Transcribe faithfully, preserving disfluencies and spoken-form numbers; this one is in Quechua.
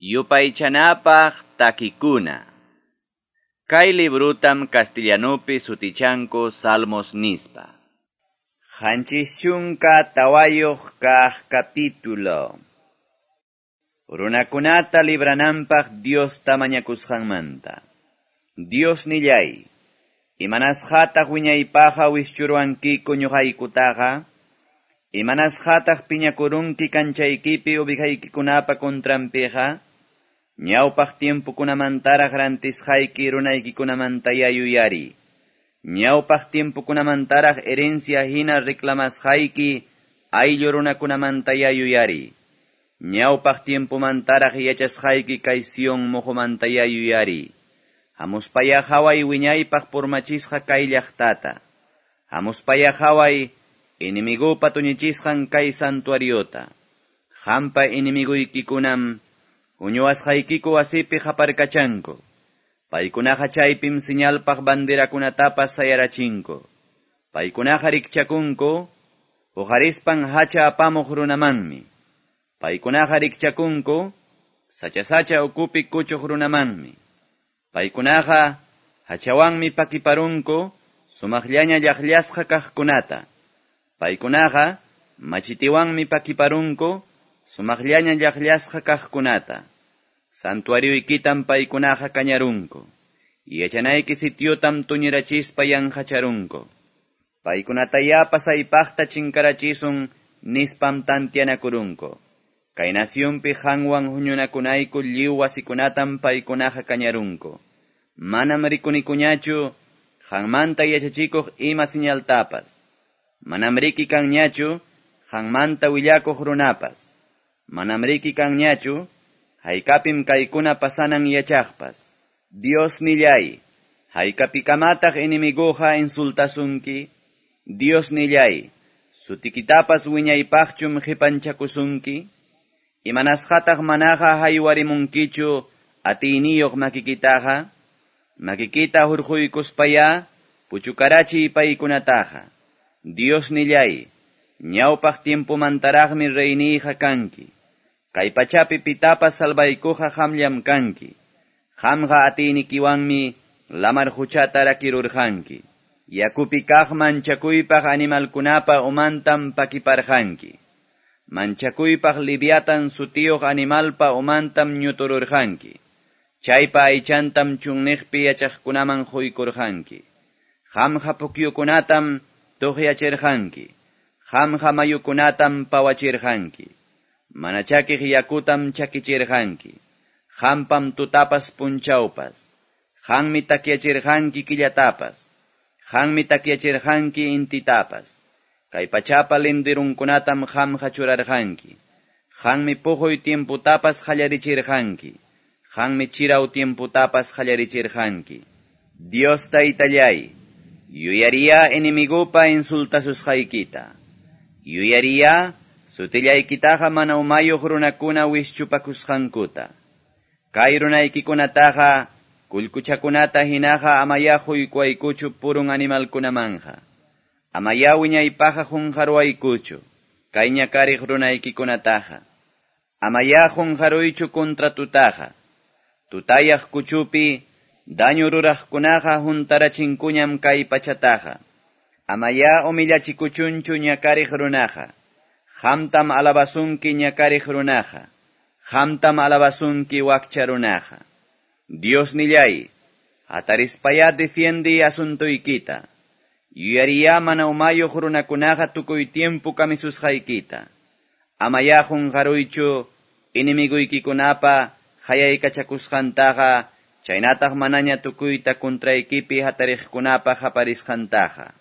Yupaychanapaq takikuna. Kay librutam castellanupi sutichanku Salmos nispa. Qanchis chunka tawayuq kaq capítulo. Runakunata librananpaq Diosta mañakusqanmanta. Dios nillay, imanasqataq wiñaypaqqa wischuruwankiku ñuqaykutaqa? Imanasqataq piñakurunki kanchaykipi ubijaykikunapa contranpiqa? Ñawpaq tiempokunamantaraq rantisqayki runaykikunamantaya yuyari. Ñawpaq tiempokunamantaraq herencia hina reclamasqayki ayllu runakunamantaya yuyari. Ñawpaq tiempomantaraq yachasqayki kay Sion muqumantaya yuyari. Hamuspaya haway wiñaypaq purmachisqa kay llaqtata. Hamuspaya haway enemigupa tuñichisqan kay santuariota. Hampa enemiguykikunam huñuwasqaykiku wasipi qaparkachanku. Paykunaqa chaypim señalpaq banderakunatapas sayarachinku. Paykunaqa rikchakunku huqarispan hacha apamuq runamanmi. Paykunaqa rikchakunku sacha-sacha ukupi kuchuq runamanmi. Paykunaqa hachawanmi pakiparunku sumaqllaña llaqllasqa kaqkunata. Paykunaqa machitiwanmi pakiparunku sumaqllaña llaqllasqa kaqkunata. Santuarioykitam paykunaqa kañarunku. Yachanayki sitiotam tuñirachispa yanqacharunku. Paykunataya pasaypaqta chinkarachisun nispam tantianakurunku. Kay nacionpi qanwan huñunakunayku lliw wasikunatam paykunaqa kañarunku. Manam rikunikuñachu qanmanta yachachikuq ima señaltapas. Manam riki kanñachu qanmanta willakuq runapas. Manam riki kanñachu haykapim kaykuna pasanan yachaqpas. Dios nillay, haykapikamataq enemiguqa insultasunki? Dios nillay, sutikitapas wiñaypaqchum qipanchakusunki? Imanasqataq manaqa haywarimunkichu atiyniyuq makikitaqa? Makikita hurquykuspaya puchukarachiy paykunataqa. Dios nillay, ñawpaq tiempomantaraqmi reyniyqa kanki. Kay pachapi pitapas salvaykuqa qamllam kanki. Qamqa atiynikiwanmi lamar huchata rakirurqanki. Yakupi kaq manchakuypaq animalkunapa umantam pakiparqanki. Manchakuypaq Leviatán sutiyuq animalpa umantam ñutururqanki. Chaypa aychantam chunniqpi yachaqkunaman quykurqanki. Qamqa pukyukunatam tuqyachirqanki. Qamqa mayukunatam pawachirqanki. Mana chakiq yakutam chakichirqanki. Qampam tutapas punchawpas. Qanmi takyachirqanki killatapas. Qanmi takyachirqanki intitapas. Kay pachapa lindirunkunatam qamqa churarqanki. Qanmi puquy tiemputapas qallarichirqanki. Qanmi chiraw tiemputapas qallarichirqanki. Dios taytallay, yuyariya enemigupa insultasusqaykita. Yuyariya sutillaykitaqa mana umayuq runakuna wischupakusqankuta. Kay runaykikunataqa kullkuchakunata hinaqa amaya huykuaykuchu purun animalkunamanja. Amaya wiñaypaqa qunqaruwaykuchu kay ñakariq runaykikunataqa. Amaya qunqaruychu contratutaqa. Tutayaq kuchupi daño ruraqkunaqa huntarachinkuñam kay pachataqa. Amaya humillachikuchunchu ñakariq runaqa. Qamtam alabasunki ñakariq runaqa. Qamtam alabasunki wakcha runaqa. Dios nillay, hatarispaya defiende asuntuykita. Yuyariya mana umayuq runakunaqa tukuy tiempo kamisusqaykita. Amaya qunqaruychu enemiguykikunapa qayaykachakusqantaqa, chaynataq manaña tukuyta contraykipi hatariqkunapa qaparisqantaqa.